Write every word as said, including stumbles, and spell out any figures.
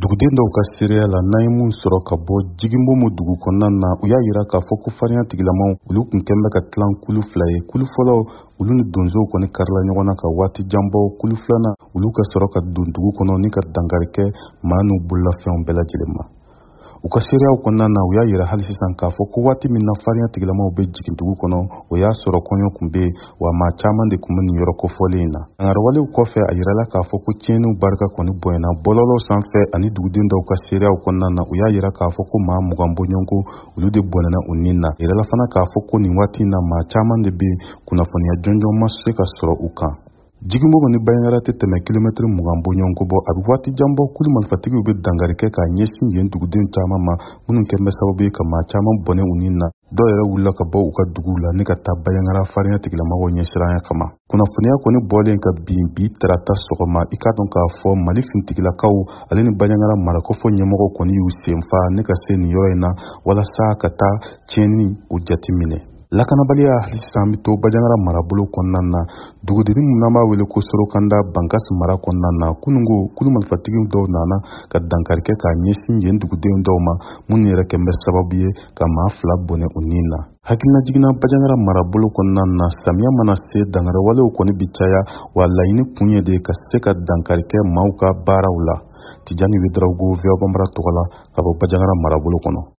Duguden dɔw ka seereya la, n'an ye mun sɔrɔ ka bɔ Jiginbomo dugu kɔnɔna na, u y'a yira k'a fɔ ko farinya tigilamaw, olu kun kɛn bɛ ka tilan kulu fila ye. Kulu fɔlɔ, olu ni donsow kɔni karila ɲɔgɔn na ka waati jan bɔ. Kulu filanan, olu ka sɔrɔ ka don dugu kɔnɔ ni ka dankari kɛ maa n'u bololafɛnw bɛɛ lajɛlen ma. U ka seereyaw kɔnɔna na, u y'a yira hali sisan k'a fɔ ko waati min na farinya tigilamaw bɛ jigin dugu kɔnɔ, o y'a sɔrɔ kɔɲɔ kun bɛ yen, wa maa caman de kun bɛ nin yɔrɔ kofɔlen in na. Dankariwalew kɔfɛ, a yirala k'a fɔ ko tiɲɛniw barika kɔni bonyana. Bɔlɔlɔw sanfɛ ani duguden dɔw ka seereyaw kɔnɔna na, u y'a yira k'a fɔ ko maa mugan bɔɲɔgɔnko, olu de bɔnɛna u nin na. A yirala fana k'a fɔ ko nin waati in na, maa caman de bɛ yen, kunnafoniya jɔnjɔn ma se ka sɔrɔ u kan. Jiginbomo ni Banjagara tɛ tɛmɛ kilomɛtiri mugan bɔɲɔgɔnko bɔ. A bɛ waati jan bɔ, kulu marifatigiw bɛ dankari kɛ k'a ɲɛsin yen duguden caman ma, minnu kɛn bɛ sababu ye ka maa caman bɔnɛ u nin na. Dɔw yɛrɛ wulila ka bɔ u ka duguw la ni ka taa Banjagara farinya tigilamɔgɔw ɲɛsiranya kama. Kunnafoniya kɔni bɔlen ka bin bi tarata sɔgɔma, i k'a dɔn k'a fɔ Mali finitigilakaw ale ni Banjagara marakɔfɔ ɲɛmɔgɔw kɔni y'u senfa ne ka se nin yɔrɔ in na walasa ka taa tiɲɛni o jateminɛ. Lakanabaliya hali sisan bɛ to Banjagara marabolo kɔnɔna na, dugudenni min n'an b'a wele ko Sorokanda, Bankasi mara kɔnɔna na. Kununko, kulu marifatigi dɔw nana ka dankari kɛ k'a ɲɛsin yen duguden dɔw ma, minnu yɛrɛ kɛn bɛ sababu ye ka maa fila bɔnɛ u nin na. Hakilina jiginna Banjagara marabolo kɔnɔna na, samiya mana se, dankariwalew kɔni bi caya, wa laɲini kun ye de ka se ka dankari kɛ maaw ka baaraw la. Tijani Wedarawogo, V O A Bambara tɔgɔ la, ka bɔ Banjagara marabolo kɔnɔ.